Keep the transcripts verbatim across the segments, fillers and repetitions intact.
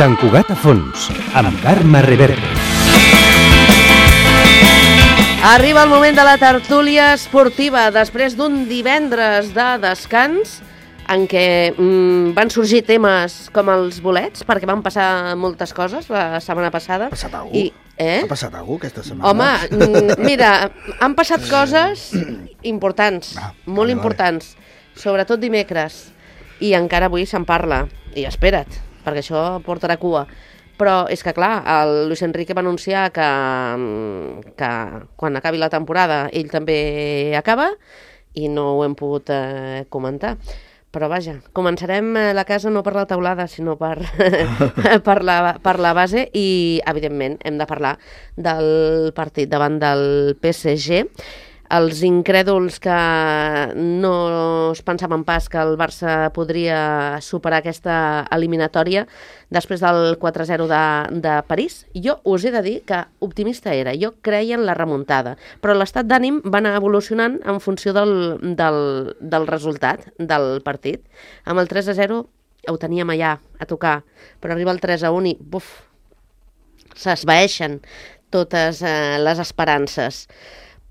Sant Cugat a fons, amb Carme Reverte. Arriba el moment de la tertúlia esportiva després d'un divendres de descans en què mm, van sorgir temes com els bolets, perquè van passar moltes coses la setmana passada. Ha passat alguna cosa? Eh? Ha passat alguna cosa aquesta setmana? Home, mira, han passat coses importants, ah, molt vale, importants, vale. Sobretot dimecres, i encara avui se'n parla. I espera't, perquè això portarà cua. Però és que, clar, el Luis Enrique va anunciar que, que quan acabi la temporada ell també acaba i no ho hem pogut eh, comentar. Però vaja, començarem la casa no per la teulada, sinó per, per, la, per la base i, evidentment, hem de parlar del partit davant del P S G. Els incrèduls que no es pensaven pas que el Barça podria superar aquesta eliminatòria després del quatre a zero de, de París. Jo us he de dir que optimista era, jo creia en la remuntada, però l'estat d'ànim va anar evolucionant en funció del, del, del resultat del partit. Amb el tres a zero ho teníem allà a tocar, però arriba el tres a un i buf, s'esvaeixen totes eh, les esperances.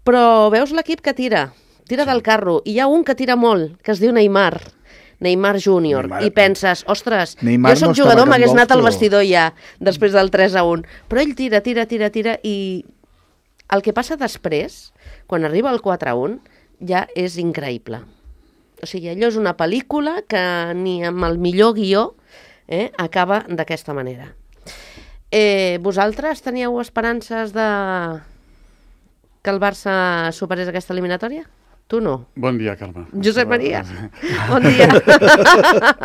Però veus l'equip que tira, tira del carro, i hi ha un que tira molt, que es diu Neymar, Neymar júnior, Neymar. I penses, ostres, Neymar jo soc no jugador, m'hagués anat al però... vestidor ja, després del tres a un, però ell tira, tira, tira, tira, i el que passa després, quan arriba el quatre a un, ja és increïble. O sigui, allò és una pel·lícula que ni amb el millor guió eh, acaba d'aquesta manera. Eh, vosaltres teníeu esperances de... que el Barça superés aquesta eliminatòria? Tu no. Bon dia, Carme. Josep Maria, bon dia.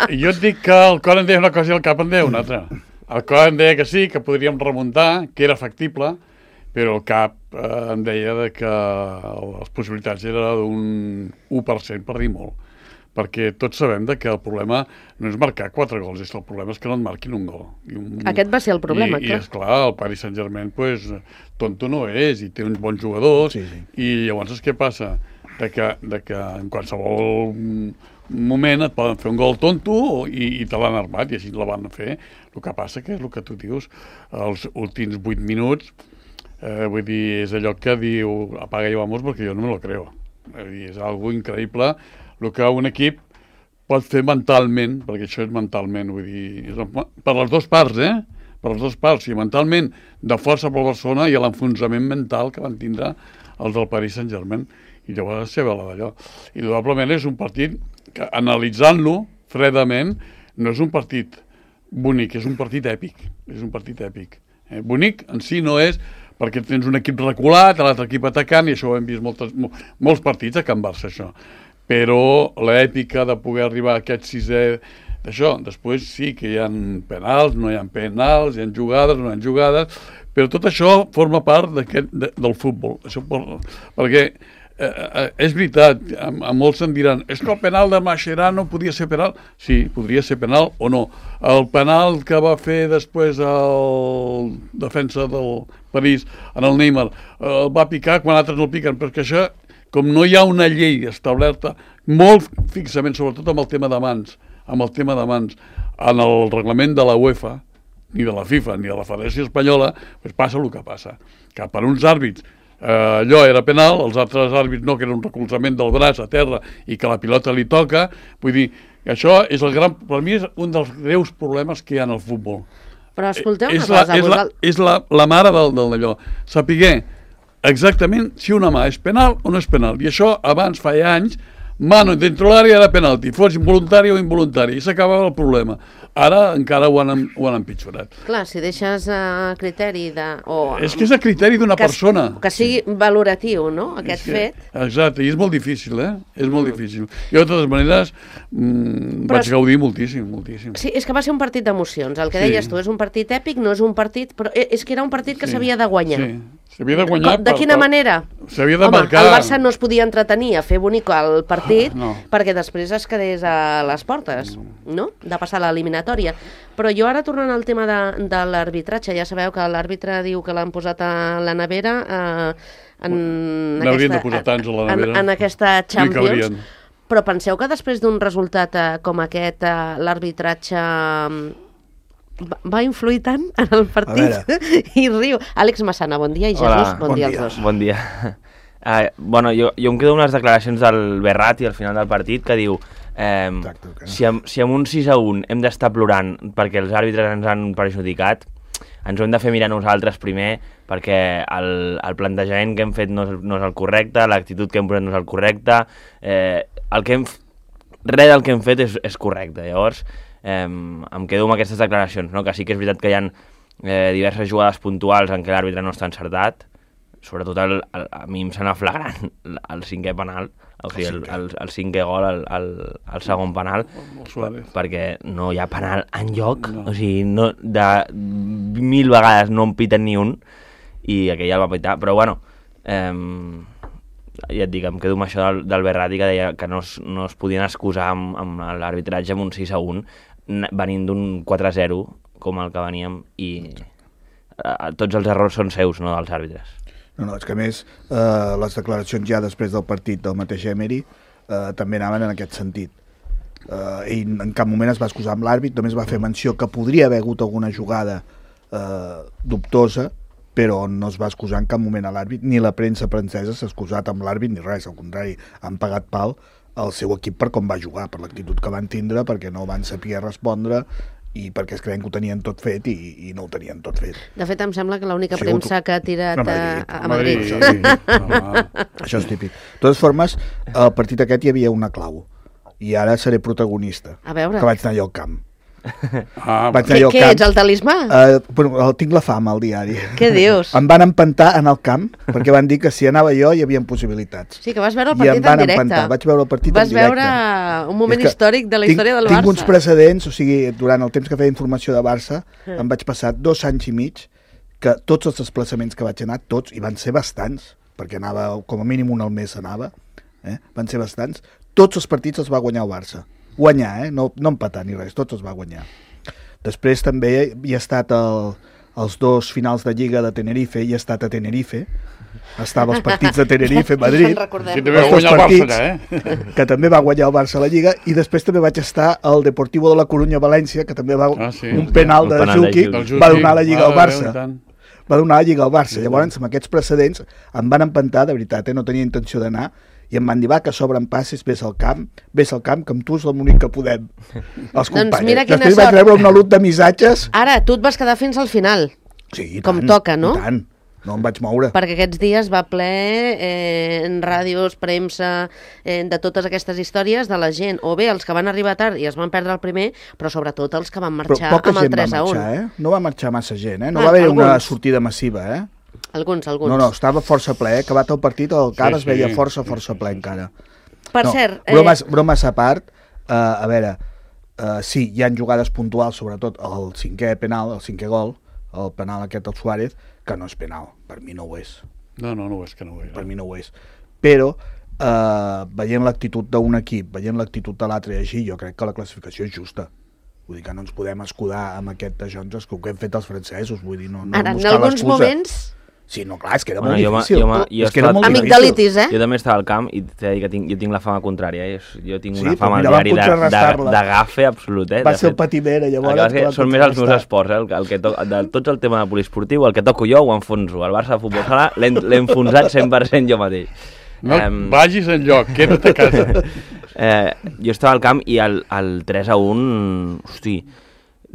Jo et dic que el cor em deia una cosa i el cap em deia una altra. El cor em deia que sí, que podríem remuntar, que era factible, però el cap eh, em deia de que les possibilitats eren d'un u per cent, per dir molt. Perquè tots sabem de que el problema no és marcar quatre gols, és el problema és que no et marquin un gol. I un... Aquest va ser el problema, I, clar. I esclar, el Paris Saint-Germain, pues, tonto no és, i té uns bons jugadors, sí, sí. I llavors què passa? De que, de que en qualsevol moment et poden fer un gol tonto i, i te l'han armat, i així la van fer. El que passa que és el que tu dius, els últims vuit minuts, eh, vull dir, és allò que diu apaga i vamos, perquè jo no me lo creo. És, dir, és algo increïble el que un equip pot fer mentalment, perquè això és mentalment, vull dir, és per les dues parts, eh? Per les dues parts, i mentalment de força per Barcelona i l'enfonsament mental que van tindre els del Paris Saint-Germain. I llavors se ve la d'allò. I probablement és un partit que, analitzant-lo fredament, no és un partit bonic, és un partit èpic. És un partit èpic. Eh? Bonic en si no és, perquè tens un equip reculat, l'altre equip atacant, i això ho hem vist moltes, molts partits a Can Barça, això. Però l'èpica de poder arribar a aquest sisè d'això, després sí que hi ha penals, no hi ha penals, hi ha jugades, no hi ha jugades, però tot això forma part de, del futbol. Això, perquè eh, és veritat, a, a molts em diran, és que el penal de Mascherano podia ser penal? Sí, podria ser penal o no. El penal que va fer després el defensa del París en el Neymar, el va picar quan altres no el piquen, perquè això, com no hi ha una llei establerta, molt fixament, sobretot amb el tema de mans, amb el tema de mans, en el reglament de la UEFA, ni de la FIFA, ni de la Federació Espanyola, doncs passa el que passa. Que per uns àrbits eh, allò era penal, els altres àrbits no, que era un recolzament del braç a terra i que la pilota li toca. Vull dir, això és el gran, per mi és un dels greus problemes que hi ha en el futbol. Però escolteu una és la, cosa... És, la, és la, la mare del, del d'allò. Sapiguer exactament si una mà és penal o no és penal. I això abans, fa anys, mano dentro l'àrea era penalti, fos involuntari o involuntari, i s'acabava el problema. Ara encara ho han, ho han empitjorat. Clar, si deixes a uh, criteri de... O, és que és a criteri d'una persona. Que sigui valoratiu, no?, aquest que, fet. Exacte, i és molt difícil, eh? És molt difícil. Jo, de totes maneres, mmm, vaig gaudir moltíssim, moltíssim. Sí, és que va ser un partit d'emocions. El que sí. deies tu, és un partit èpic, no és un partit... Però és que era un partit que s'havia sí. de guanyar. Sí, s'havia de guanyar... De, de quina per, manera? S'havia de Home, marcar... el Barça no es podia entretenir a fer bonic el partit ah, no. perquè després es quedés a les portes, no?, de passar l'eliminatòria. Però jo ara, tornant al tema de, de l'arbitratge, ja sabeu que l'àrbitre diu que l'han posat a la nevera eh, en, n'haurien de posar tants a la nevera. En, en aquesta Champions. Però penseu que després d'un resultat eh, com aquest, eh, l'arbitratge va, va influir tant en el partit i riu. Àlex Massana, bon dia, i Jesús, Hola, bon, bon dia dia. als dos. Bon dia. Uh, bueno, jo, jo em quedo amb les declaracions del Berratti al final del partit que diu eh, Exacte, que no. si, amb, si amb un sis a un hem d'estar plorant perquè els àrbitres ens han perjudicat, ens ho hem de fer mirar nosaltres primer perquè el, el plantejament que hem fet no és, no és el correcte, l'actitud que hem posat no és el correcte, eh, el que hem, res del que hem fet és, és correcte. Llavors eh, em quedo amb aquestes declaracions, no? Que sí que és veritat que hi ha eh, diverses jugades puntuals en què l'àrbitre no està encertat, sobretot el, el, a mi em sembla flagrant el cinquè penal, o sigui, el, el, el cinquè gol, el, el, el segon penal, perquè no hi ha penal enlloc, no. O sigui, no, de mil vegades no en piten ni un, i aquell ja el va pitar, però bueno, eh, ja et dic, em quedo amb això del, del Berratti, que deia que no es, no es podien excusar amb, amb l'arbitratge amb un sis a un, venint d'un quatre a zero, com el que veníem, i eh, tots els errors són seus, no dels àrbitres. No, no, és que a més eh, les declaracions ja després del partit del mateix Emery eh, també anaven en aquest sentit. Eh, ell en cap moment es va excusar amb l'àrbit, només va fer menció que podria haver hagut alguna jugada eh, dubtosa, però no es va excusar en cap moment a l'àrbit, ni la premsa francesa s'ha excusat amb l'àrbit ni res, al contrari, han pagat pal al seu equip per com va jugar, per l'actitud que van tindre, perquè no van saber respondre i perquè es creien que ho tenien tot fet i, i no ho tenien tot fet. De fet, em sembla que l'única Sí, premsa tu... que ha tirat a Madrid. Madrid. a Madrid. Això, sí. Això és típic. De totes formes, al partit aquest hi havia una clau, i ara seré protagonista, A veure. que vaig anar jo al camp. Ah, Vaig Què, anar jo al què camp. ets, el talismà? Uh, bueno, el, tinc la fama al diari. Què dius? Em van empantar en el camp, perquè van dir que si anava jo hi havia possibilitats. Sí, que vas veure el I em partit van en directe. empantar. Vaig veure el partit vas en directe. veure un moment És que històric de la tinc, història del tinc Barça. uns precedents, o sigui, durant el temps que feia informació de Barça, Mm. em vaig passar dos anys i mig que tots els desplaçaments que vaig anar, tots, i van ser bastants, perquè anava, com a mínim un al mes anava, eh? Van ser bastants, tots els partits els va guanyar el Barça. Guanyar, eh? No, no empatar ni res, tots els va guanyar. Després també hi ha estat el, els dos finals de Lliga de Tenerife, i he estat a Tenerife, estava als partits de Tenerife, Madrid, Ens en recordem. Sí, també va els dos guanyar el Barça, partits, allà, eh? que també va guanyar el Barça a la Lliga, i després també vaig estar al Deportivo de la Coruña València, que també va Ah, sí. un penal Un de penal de Juki, Juki. va donar la Lliga al Mare de Barça. Déu, i tant. Va donar la Lliga al Barça. Llavors, amb aquests precedents, em van empantar, de veritat, eh? No tenia intenció d'anar, i em van dir, va, que s'obren passes, vés al camp, vés al camp, que amb tu és l'únic que podem. Els companys. mira quina Després vaig sort. rebre una lut de missatges. Ara, tu et vas quedar fins al final, Sí, i com tant, toca, no? I tant, no em vaig moure. perquè aquests dies va ple eh, en ràdios, premsa, eh, de totes aquestes històries de la gent, o bé els que van arribar tard i es van perdre el primer, però sobretot els que van marxar Però poca amb el gent va tres a un. marxar, eh? No va marxar massa gent, eh? No Ah, va haver una alguns. sortida massiva, eh? Alguns, alguns. No, no, estava força ple, eh? Acabat el partit, el camp Sí, es veia sí. força, força ple encara. Per no, cert... Eh, bromes, bromes a part, uh, a veure, uh, sí, hi han jugades puntuals, sobretot el cinquè penal, el cinquè gol, el penal aquest al Suárez, que no és penal, per mi no ho és, No, no, no ho és, que no ho és. per mi no ho és. Però, uh, veient l'actitud d'un equip, veient l'actitud de l'altre i així, jo crec que la classificació és justa. Vull dir que no ens podem escudar amb aquest de Jones, que ho que hem fet els francesos, vull dir, no, no Ara, en buscar alguns l'excusa. moments... Sí, no, clar, és que era Bueno, molt jo m'ha- difícil. jo m'ha- jo és que era he molt estat- difícil. Amigdalitis, eh? Jo també estava al camp i t'he de dir que tinc, jo tinc la fama contrària, eh? Jo tinc Sí, una però fama mira, al van diari de, de, contrarrestar-la. de gafe absolut, eh? Va De ser el fet, patimera, el llavors... que passa és que que van són més els meus contrastar. esports, eh? El, el que to, de tots el tema de poliesportiu, el que toco jo ho enfonso. El Barça de futbol sala l'he l'he enfonsat cent per cent jo mateix. No Em, vagis enlloc, queda't a casa. eh, jo estava al camp i el, el tres a un, hosti,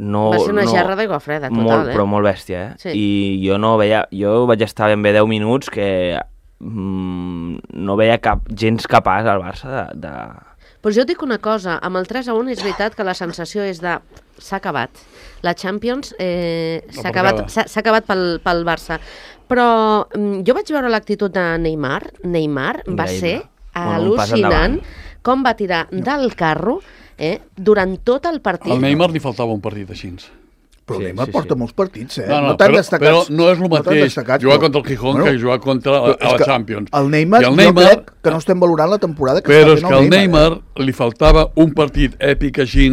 no... Va ser una no, gerra d'aigua freda, total, molt, eh? Però molt bèstia, eh? Sí. I jo no veia... Jo vaig estar ben bé deu minuts que mm, no veia cap, gens capaç al Barça de... de... Pues jo et dic una cosa, amb el tres a un és veritat que la sensació és de... S'ha acabat. La Champions eh, s'ha acabat, porcada. s'ha s'ha acabat pel, pel Barça. Però mm, jo vaig veure l'actitud de Neymar. Neymar va Increïble. ser Bueno, un pas al·lucinant endavant. com va tirar del carro eh, durant tot el partit. Al Neymar li faltava un partit així. Però Sí, sí, Neymar sí, porta sí. molts partits, eh? No, no, tan però, destacats, però no és el tan mateix destacats, jugar però- contra el Gijón bueno, que jugar contra però a, és a la que Champions. El Neymar, I el jo Neymar, crec que no estem valorant la temporada que però està és fent que al el Neymar eh? li faltava un partit èpic així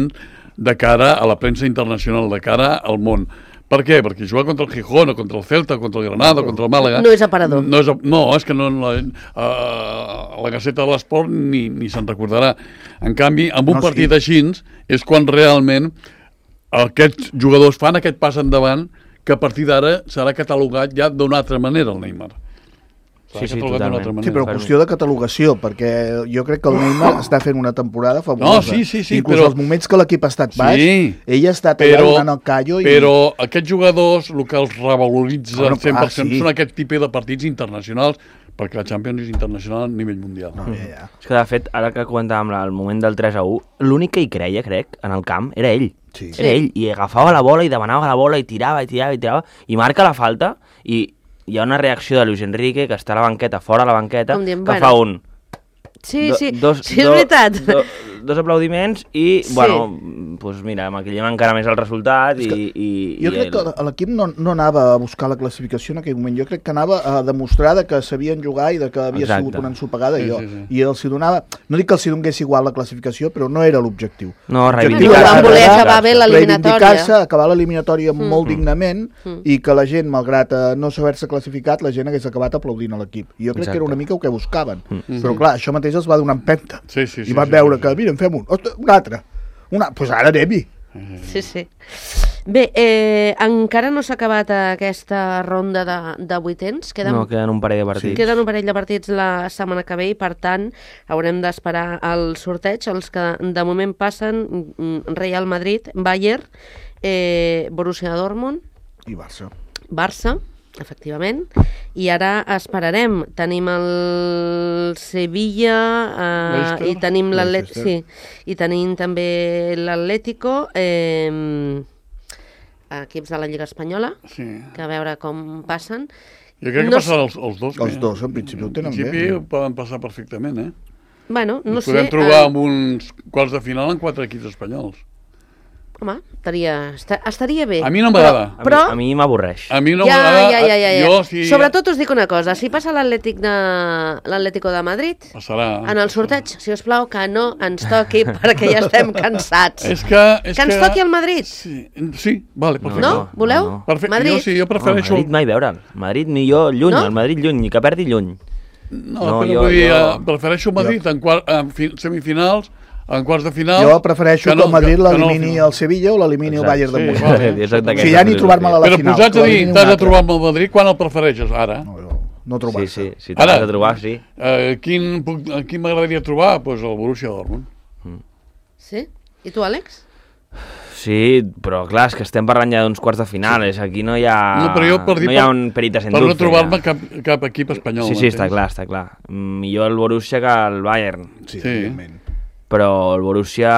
de cara a la premsa internacional, de cara al món. Per què? Perquè jugar contra el Gijón, o contra el Celta, contra el Granada, contra el Màlaga... No és aparador. No, és, no, és que no, la, a la Gaceta de l'Esport ni, ni se'n recordarà. En canvi, amb un No, partit sí. així és quan realment aquests jugadors fan aquest pas endavant que a partir d'ara serà catalogat ja d'una altra manera el Neymar. Sí, sí, totalment. Sí, però qüestió de catalogació, perquè jo crec que el Neymar està fent una temporada fabulosa. No, sí, sí, sí, Inclús però... els moments que l'equip ha estat baix, sí, ell ha estat allà però, donant el callo. I... Però aquests jugadors, el que els revaloritza Bueno, al cent per cent ah, sí. són aquest tipus de partits internacionals, perquè la Champions és internacional a nivell mundial. No, ja, ja. És que, de fet, ara que comentàvem el moment del tres a u, l'únic que hi creia, crec, en el camp, era ell. Sí. Era ell, i agafava la bola i demanava la bola i tirava i tirava i tirava, i marca la falta, i hi ha una reacció de Luis Enrique, que està a la banqueta, fora a la banqueta, dient, que bueno, fa un... Sí, do, sí, dos, sí, és do, veritat. Do, dos aplaudiments i, Sí. bueno, doncs mira, maquillem encara més el resultat i... i Jo i crec el... que l'equip no, no anava a buscar la classificació en aquell moment, jo crec que anava a demostrar de que sabien jugar i de que havia Exacte. sigut una ensopegada, Sí, i, jo, sí, sí. i els hi donava, no dic que els hi donés igual la classificació, però no era l'objectiu. No, L'objectiu reivindicar-se. era Van voler acabar- acabar bé l'eliminatòria. reivindicar-se, acabar l'eliminatòria Mm. molt dignament Mm. i que la gent, malgrat eh, no saber-se classificat, la gent hagués acabat aplaudint a l'equip. I jo crec Exacte. que era una mica el que buscaven. Mm. Però clar, això mateix els va donar empenta. Sí, sí, sí, I van sí, veure sí, que, sí. mira, en fem un, ostres, un altre. Una, doncs pues ara anem-hi. Sí, sí. Bé, eh, encara no s'ha acabat aquesta ronda de, de vuitens. Queden, No, queden un parell de partits. queden un parell de partits la setmana que ve i, per tant, haurem d'esperar el sorteig. Els que de moment passen, mm, Real Madrid, Bayern, eh, Borussia Dortmund, I Barça. Barça, efectivament, i ara esperarem. Tenim el Sevilla eh, Leicester. i tenim l'Atlètico, Leicester. sí, i tenim també l'Atlético, eh, equips de la Lliga Espanyola, Sí. que a veure com passen. Jo crec que No passaran els, els dos. Els bé. dos, en principi, ho tenen En principi bé. ho poden passar perfectament, eh? Bueno, no Ens sé. podem trobar eh, amb uns quarts de final amb quatre equips espanyols. Home, estaria, esta- estaria bé. A mi no m'agrada. A mi, Però- a mi m'avorreix. A mi no ja, m'agrada. ja, ja, ja, ja. Jo, si Sobretot us dic una cosa, si passa l'Atlètic de l'Atlético de Madrid, Passarà. en el sorteig, si us plau, que no ens toqui, perquè ja estem cansats. És que... És Que ens toqui el Madrid. Sí, sí, vale, perfecte. No? Voleu? no, no. Perfecte. Madrid. Jo sí, jo No, prefereixo... Madrid mai veure'l. Madrid ni jo lluny, No? el Madrid lluny, ni que perdi lluny. No, No, però jo- vull dir, jo- eh, prefereixo Madrid en, quart, en fi, semifinals, en quarts de final... Jo prefereixo que, no- el Madrid que no al l'elimini final. el Sevilla o l'elimini el Exacte. Bayern de Sí, Múnich. vale. Exacte, Si ja ni trobar-me-la a la Però final. posats que a dir, l'elimini un t'has de altre. trobar amb el Madrid, quan el prefereixes? Ara? No, no, no Sí, trobar-se. sí, si t'has Ara. de trobar, sí. Eh, quin, puc- a quin m'agradaria trobar? Doncs pues el Borussia Dortmund. Sí? I tu, Àlex? Sí, però clar, és que estem parlant ja d'uns quarts de final, és aquí no hi ha, No, però jo per dir no hi ha per- un peritas en Per no dulce. trobar-me ja. cap, cap equip espanyol. Sí, sí, està m'entens? clar, està clar. Millor el Borussia que el Bayern, Sí, Sí. evidentment. però el Borussia,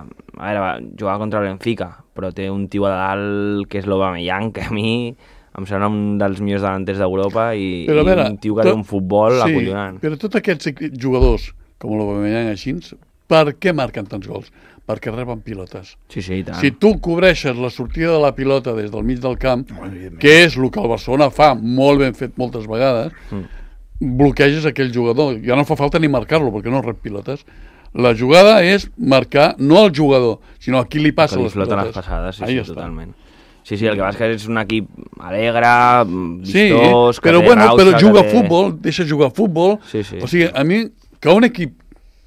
a veure, va, jugava contra el Benfica, però té un tio a dalt que és l'Aubameyang, que a mi em sembla un dels millors davanters d'Europa i, Però a i veure, un tio que tot- té un futbol sí, acollonant. però tots aquests equi- jugadors, com l'Aubameyang així, per què marquen tants gols? Perquè reben pilotes. Sí, sí, i tant. Si tu cobreixes la sortida de la pilota des del mig del camp, Oh, evidentment. que és el que el Barcelona fa molt ben fet moltes vegades, Mm. bloqueges aquell jugador. Ja no fa falta ni marcar-lo, perquè no rep pilotes. La jugada és marcar no al jugador, sinó a qui li passa que li les floten pilotes. les passades, sí, Ahí sí, està. totalment. Sí, sí, el que passa és que és un equip alegre, Sí, vistós, que però, té bueno, rauxa, però juga que a té... futbol, deixa jugar a futbol. Sí, sí. O sigui, a mi, que un equip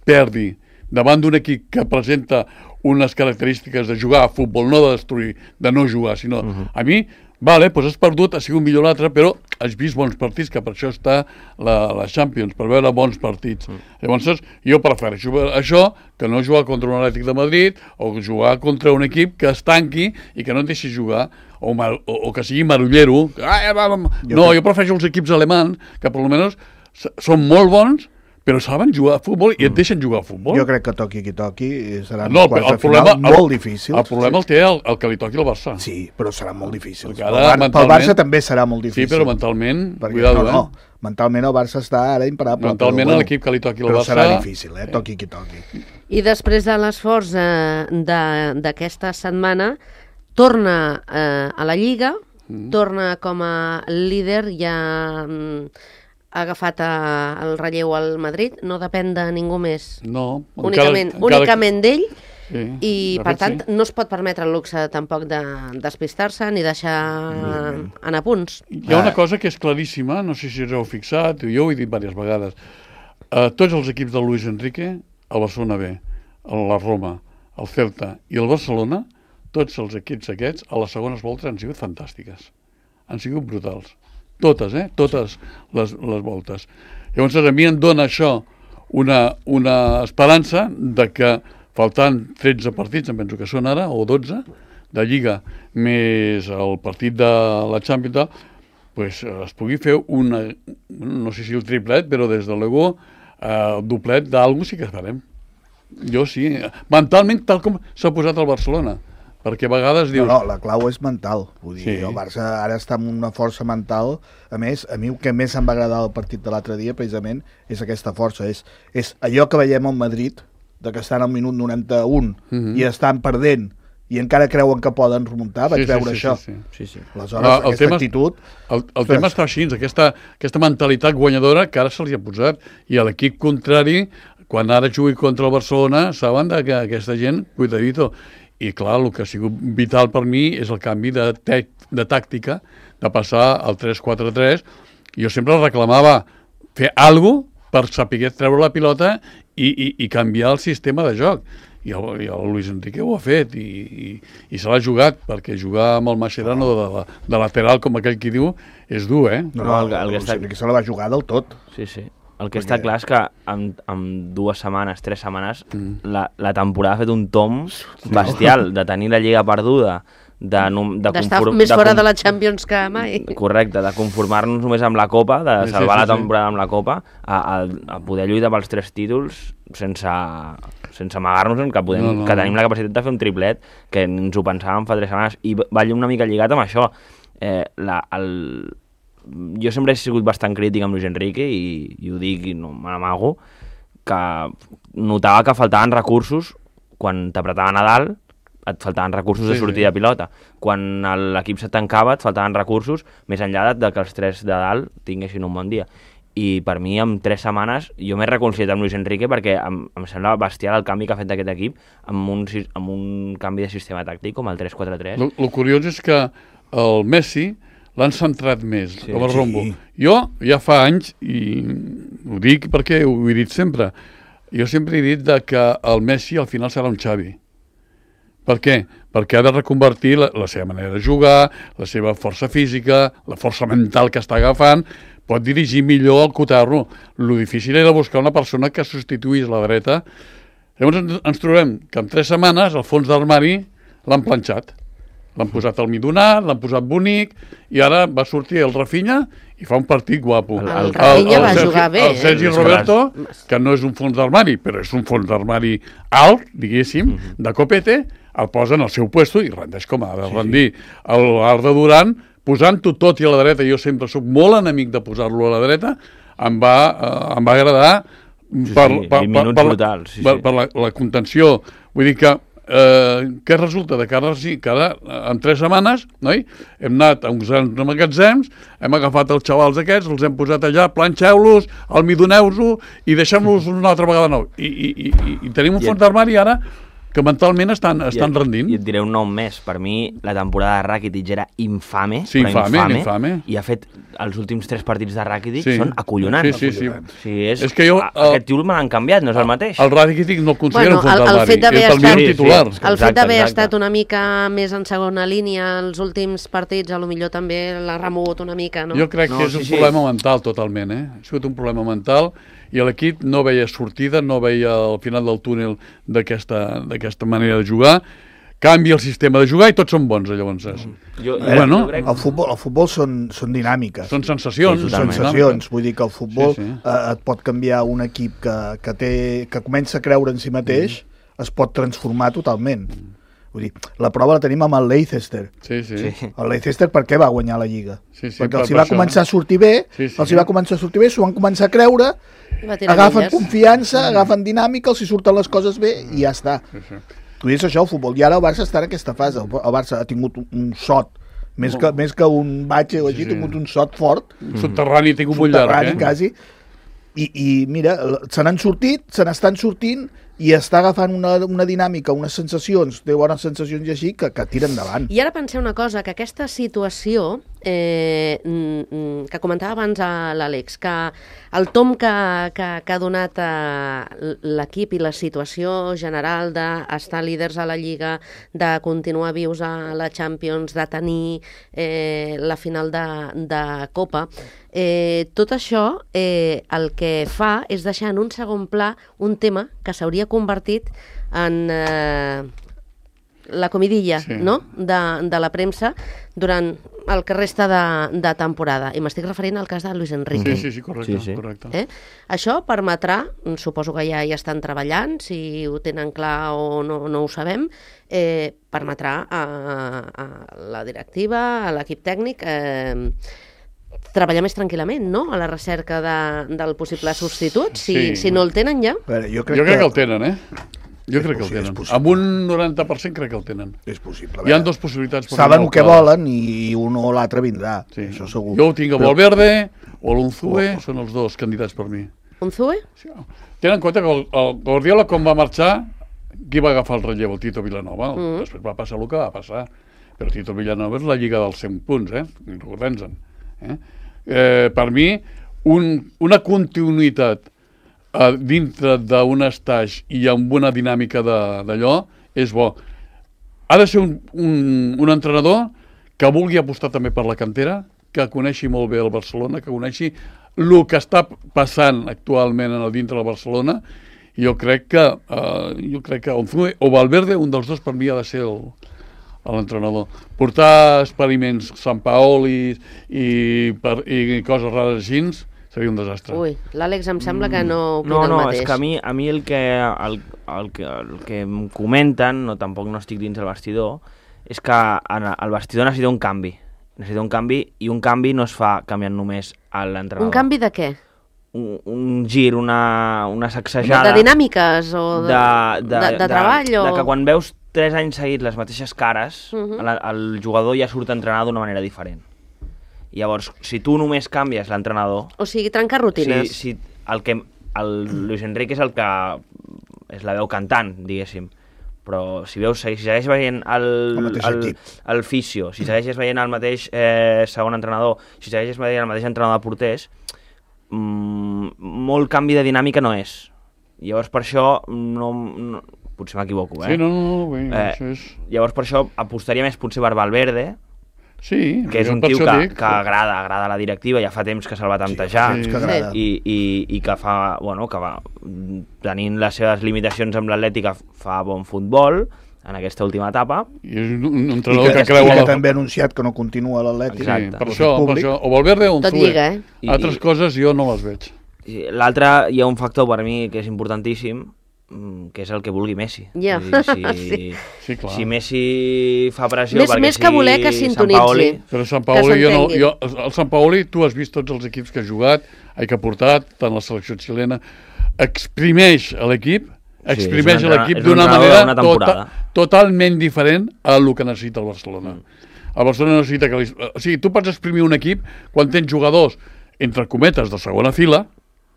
perdi davant d'un equip que presenta unes característiques de jugar a futbol, no de destruir, de no jugar, sinó... Uh -huh. A mi, vale, doncs has perdut, ha sigut millor l'altre, però has vist bons partits, que per això està la, la Champions, per veure bons partits. Mm. Llavors, jo prefereixo això que no jugar contra un Atlètic de Madrid o jugar contra un equip que es tanqui i que no et deixi jugar, o, mar, o, o que sigui marullero. Ah, va, va. No, crec... jo prefereixo els equips alemans, que per almenys són molt bons, però saben jugar a futbol i et deixen jugar a futbol. Jo crec que toqui qui toqui seran No, uns quarts el de final problema, molt difícils. El problema el té el, el que li toqui al Barça. Sí, però serà molt difícil. Perquè Pel, ara, Bar pel mentalment- Barça també serà molt Sí, difícil. però mentalment, Perquè, cuidado, no, no, eh? mentalment el Barça està ara imparable. Mentalment però, l'equip que li toqui al però Barça... serà difícil, eh? Toqui qui toqui. I després de l'esforç eh, de- d'aquesta setmana, torna eh, a la Lliga, mm. torna com a líder, ja mm, ha agafat eh, el relleu al Madrid, no depèn de ningú més. No, Únicament, encara, únicament d'ell, Sí, i de per fet, tant sí. no es pot permetre el luxe tampoc de despistar-se ni deixar anar punts. Hi ha una cosa que és claríssima, no sé si us heu fixat, jo ho he dit diverses vegades. Uh, tots els equips de Luis Enrique, el Barcelona B, el- la Roma, el Celta i el Barcelona, tots els equips aquests, a les segones voltes han sigut fantàstiques. Han sigut brutals. Totes, eh? Totes les, les voltes. Llavors, a mi em dona això una, una esperança de que, faltant tretze partits, em penso que són ara, o dotze, de Lliga, més el partit de la Champions, pues, es pugui fer una, no sé si el triplet, però des de l'ego, el doblet d'algú sí que farem. Jo sí. Mentalment, tal com s'ha posat el Barcelona. Perquè a vegades dius... No, no, la clau és mental. Vull dir, Sí. el Barça ara està amb una força mental. A més, a mi el que més em va agradar del partit de l'altre dia, precisament, és aquesta força. És, és allò que veiem al Madrid, de que estan al minut noranta-un Mhm. i estan perdent, i encara creuen que poden remuntar. Vaig Sí, sí, veure sí, això. sí, sí. Sí, sí. Aleshores, Ah, el aquesta tema- actitud... El, el tema està així, aquesta, aquesta mentalitat guanyadora que ara se li ha posat, i a l'equip contrari, quan ara jugui contra el Barcelona, saben de que aquesta gent, cuidadito. I clar, el que ha sigut vital per mi és el canvi de, te de tàctica, de passar al tres quatre tres. Jo sempre reclamava fer alguna cosa per saber treure la pilota i, i, i canviar el sistema de joc. I el, i el Luis Enrique ho ha fet i, i, i se l'ha jugat, perquè jugar amb el Mascherano de, la, de lateral, com aquell qui diu, és dur, eh? No, No, no, el que- el que el, està- el que se la va jugar del tot. Sí, sí. El que Perquè- està clar és que en, en dues setmanes, tres setmanes, Mm. la, la temporada ha fet un tom bestial de tenir la Lliga perduda, de, num- de, D'estar conform- més de fora com- de la Champions que mai. Correcte, de conformar-nos només amb la Copa, de Sí, sí, salvar sí, la sí. temporada amb la Copa, a, a, a poder lluitar pels tres títols sense, sense amagar-nos que, podem, No, no, que no. tenim la capacitat de fer un triplet, que ens ho pensàvem fa tres setmanes, i va una mica lligat amb això. Eh, la, el, jo sempre he sigut bastant crític amb Luis Enrique, i, i ho dic i no me n'amago, que notava que faltaven recursos quan t'apretaven a dalt, et faltaven recursos Sí, de sortir sí. de pilota. Quan el- l'equip se tancava, et faltaven recursos, més enllà de, de que els tres de dalt tinguessin un bon dia. I per mi, en tres setmanes, jo m'he reconciliat amb Luis Enrique perquè em, em sembla bestial el canvi que ha fet d'aquest equip amb un, sis- amb un canvi de sistema tàctic com el tres quatre tres. El, el curiós és que el Messi l'han centrat més, Sí. sí, el Rombo. Sí. Jo ja fa anys, i ho dic perquè ho he dit sempre, jo sempre he dit de que el Messi al final serà un Xavi. Per què? Perquè ha de reconvertir la, la seva manera de jugar, la seva força física, la força mental que està agafant, pot dirigir millor el cotarro. Lo difícil era buscar una persona que substituís la dreta. Llavors ens, ens trobem que en tres setmanes el fons d'armari l'han planxat. L'han posat al midonat, l'han posat bonic, i ara va sortir el Rafinha i fa un partit guapo. El- El Rafinha va Sergi- jugar bé, El Sergi eh? Roberto, que no és un fons d'armari, però és un fons d'armari alt, diguéssim, Mhm. de copete, el posa en el seu puesto i rendeix com ha de rendir. El Arda Duran, posant-ho tot i a la dreta, jo sempre sóc molt enemic de posar-lo a la dreta, em va, eh, em va agradar Sí, per, sí, per, vint per, minuts per, brutals, sí, per, sí. per la, la contenció. Vull dir que eh, què resulta? De que ara sí, que ara, en tres setmanes, noi, hem anat a uns magatzems, hem agafat els xavals aquests, els hem posat allà, planxeu-los, almidoneu-ho i deixem-los una altra vegada nou. I, i, i, i, i tenim un I fons d'armari ara que mentalment estan, estan I, rendint. I et diré un nom més. Per mi, la temporada de Rakitic era infame, Sí, però infame, infame, infame. i ha fet els últims tres partits de Rakitic Sí. són acollonants. Sí, sí, sí. O sigui, és, És que jo, a- el- aquest tio me l'han canviat, no és el mateix. El Rakitic no el considero Bueno, un fons el- el d'armari, fet d'haver és el estat- millor Sí, sí. titular. El fet Exacte, d'haver exacte. estat una mica més en segona línia els últims partits, a lo millor també l'ha remogut una mica, no? Jo crec No, que és sí, un sí. problema mental totalment, eh? Ha sigut un problema mental i l'equip no veia sortida, no veia el final del túnel d'aquesta d'aquesta manera de jugar. Canvia el sistema de jugar i tots són bons, llavors. Jo, Eh, Bueno, jo crec... El futbol, el futbol són, són dinàmiques. Són sensacions. Sí, Són totalment. sensacions, vull dir que el futbol Sí, sí. eh, et pot canviar un equip que, que, té, que comença a creure en si mateix, Mm. es pot transformar totalment. Vull dir, la prova la tenim amb el Leicester. Sí, sí. Sí. sí. El Leicester per què va guanyar la Lliga? Sí, sí, Perquè per- els hi per va això. començar a sortir bé, Sí, sí, els sí. hi va començar a sortir bé, s'ho van començar a creure, I va tirar agafen milles. confiança, agafen dinàmica, els hi surten les coses bé i ja està. Sí, sí. Tu dius això, el futbol. I ara el Barça està en aquesta fase. El el Barça ha tingut un- un sot, més que, més que un batxe o així, Sí, ha sí. tingut un sot fort, Subterrani tinc un molt llarg, subterrani eh? quasi, i, i mira, se n'han sortit, se n'estan sortint, i està agafant una, una dinàmica, unes sensacions, té bones sensacions i així, que, que tira endavant. I ara penseu una cosa, que aquesta situació eh, que comentava abans a l'Àlex, que el tom que, que, que ha donat l'equip i la situació general d'estar líders a la Lliga, de continuar vius a la Champions, de tenir eh, la final de, de Copa, eh, tot això eh, el que fa és deixar en un segon pla un tema que s'hauria convertit en... Eh, la comidilla, sí. no? de, de la premsa durant el que resta de, de temporada. I m'estic referint al cas de Luis Enrique. Sí, sí, sí, correcte. Sí, sí. correcte. Eh? Això permetrà, suposo que ja hi estan treballant, si ho tenen clar o no, no ho sabem, eh, permetrà a, a la directiva, a l'equip tècnic, eh, treballar més tranquil·lament, no?, a la recerca de, del possible substitut, si, sí. si no el tenen ja. Veure, jo crec, jo crec que... que el tenen, eh? Jo crec que el tenen. Amb un noranta per cent crec que el tenen. És possible. Hi ha dues possibilitats. Saben el que volen i un o l'altre vindrà, sí. això segur. Jo ho tinc a Valverde o l'Unzue, oh. són els dos candidats per mi. Unzue? Sí. Tenen en compte que el, el Guardiola, quan va marxar, qui va agafar el relleu? El Tito Vilanova. Mm -hmm. Després va passar el que va passar. Però Tito Vilanova és la lliga dels cent punts, eh? Recordem-se'n. Eh? Eh, per mi, un, una continuïtat Uh, dintre d'un estatge i amb una dinàmica d'allò, és bo. Ha de ser un, un, un entrenador que vulgui apostar també per la cantera, que coneixi molt bé el Barcelona, que coneixi el que està passant actualment en el dintre del Barcelona, i jo crec que uh, jo crec que Onzue o Valverde, un dels dos per mi ha de ser l'entrenador. Portar experiments Sant Paoli i, per, i coses rares així seria un desastre. Ui, l'Àlex em sembla que no opina no, el no, mateix. No, és que a mi, a mi el, que, el, el, que, el que em comenten, no, tampoc no estic dins del vestidor, és que el vestidor necessita un canvi. Necessita un canvi, i un canvi no es fa canviant només a l'entrenador. Un canvi de què? Un, un gir, una, una sacsejada... De dinàmiques o de, de, de, de, de treball? De, o... de que quan veus tres anys seguits les mateixes cares, uh -huh. el, el jugador ja surt a entrenar d'una manera diferent. Llavors, si tu només canvies l'entrenador... O sigui, trencar rutines. Si, si el, que, el Luis Enrique és el que és la veu cantant, diguéssim. Però si veus, si segueix veient el, el, el, el fisio, si segueixes veient el mateix eh, segon entrenador, si segueixes veient el mateix entrenador de porters, mmm, molt canvi de dinàmica no és. Llavors, per això, no, no, potser m'equivoco, eh? Sí, no, no, no, bé, eh, això és... Llavors, per això, apostaria més potser per Valverde, sí, que és un tio que, que agrada, agrada a la directiva, ja fa temps que se'l va tantejar, sí, sí. i, i, i que fa, bueno, que va, tenint les seves limitacions amb l'Atlètic, fa bon futbol en aquesta última etapa. I és un entrenador I que, que creu... I que la... també ha anunciat que no continua l'Atlètic. Sí, per això, per això, o Valverde o un Tot lliga, eh? Altres I, coses jo no les veig. L'altre, hi ha un factor per mi que és importantíssim, que és el que vulgui Messi. Ja. Dir, si, sí. Sí, clar. Si Messi fa pressió més, perquè més si que voler que sintonitzi. Però Sant Paoli, jo no, jo, el Sant Paoli, tu has vist tots els equips que ha jugat, que ha portat, tant la selecció xilena, exprimeix l'equip, exprimeix sí, l'equip d'una manera tota, totalment diferent a el que necessita el Barcelona. Mm. El Barcelona necessita que... Li, o sigui, tu pots exprimir un equip quan tens jugadors, entre cometes, de segona fila,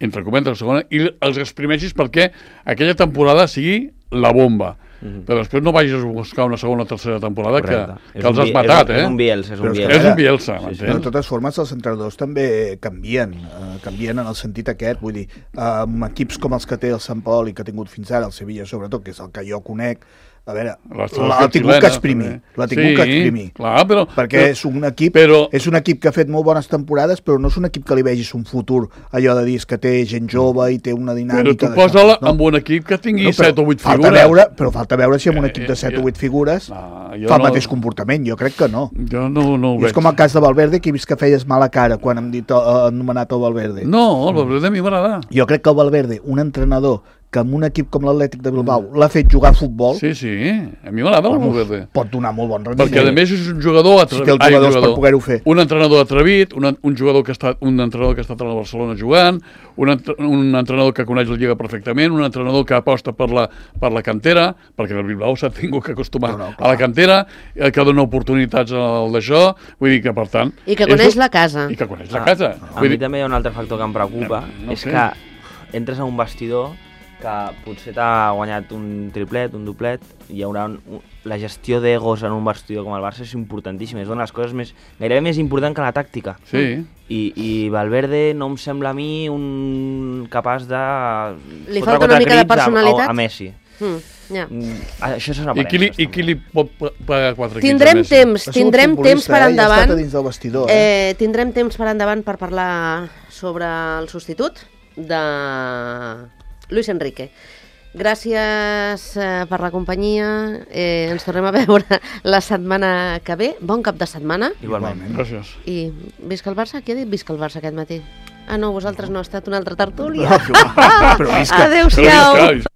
entre cometes de segona, i els exprimeixis perquè aquella temporada sigui la bomba. Mm-hmm. Però després no vagis a buscar una segona o tercera temporada que, que els has bi- matat, és, eh? És un Bielsa, és un Bielsa. És un Bielsa, sí, sí. De totes formes, els entrenadors també canvien, eh, canvien en el sentit aquest, vull dir, eh, amb equips com els que té el Sant Paoli, que ha tingut fins ara, el Sevilla sobretot, que és el que jo conec, a veure, l'ha tingut que exprimir, l'ha tingut sí, que exprimir, clar, però, perquè però, és un equip però, és un equip que ha fet molt bones temporades, però no és un equip que li vegis un futur, allò de dir que té gent jove i té una dinàmica... Però tu posa-la no? amb un equip que tingui no, set o vuit figures. Veure, però falta veure si amb un equip de set o vuit figures no, fa el no, mateix comportament, jo crec que no. Jo no, no ho veig. És com el cas de Valverde, que he vist que feies mala cara quan hem dit, uh, anomenat el Valverde. No, el Valverde a mi m'agrada. Jo crec que el Valverde, un entrenador que amb un equip com l'Atlètic de Bilbao l'ha fet jugar a futbol... Sí, sí, a mi m'agrada el Valverde. Pot donar molt bon rendiment. Perquè a més és un jugador atrevit. Si té els jugadors Ai, jugador. per poder-ho fer. Un entrenador atrevit, un, un jugador que ha estat, un entrenador que ha estat a la Barcelona jugant, un, un entrenador que coneix la Lliga perfectament, un entrenador que aposta per la, per la cantera, perquè el Bilbao s'ha tingut que acostumar no, no, a la cantera, que dona oportunitats al d'això, vull dir que per tant... I que coneix la casa. I que coneix la casa. A mi també hi ha un altre factor que em preocupa, és que entres a un vestidor que potser t'ha guanyat un triplet, un doblet, hi haurà un, un, la gestió d'egos en un vestidor com el Barça és importantíssima, és una de les coses més, gairebé més important que la tàctica. Sí. I, i Valverde no em sembla a mi un capaç de... Li falta una mica de personalitat? A, a Messi. Mm, ja. Mm, això són I qui, li, aparences. I qui li pot pagar quatre Tindrem quinze temps, tindrem temps per eh? endavant. Ja ha estat a dins del vestidor, eh? Eh, tindrem temps per endavant per parlar sobre el substitut de Luis Enrique. Gràcies eh, per la companyia. Eh, ens tornem a veure la setmana que ve. Bon cap de setmana. Igualment. Gràcies. I visca el Barça? Qui ha dit visca el Barça aquest matí? Ah, no, vosaltres no, ha estat una altra tertúlia. No, però visca. Adéu-siau. Però visca.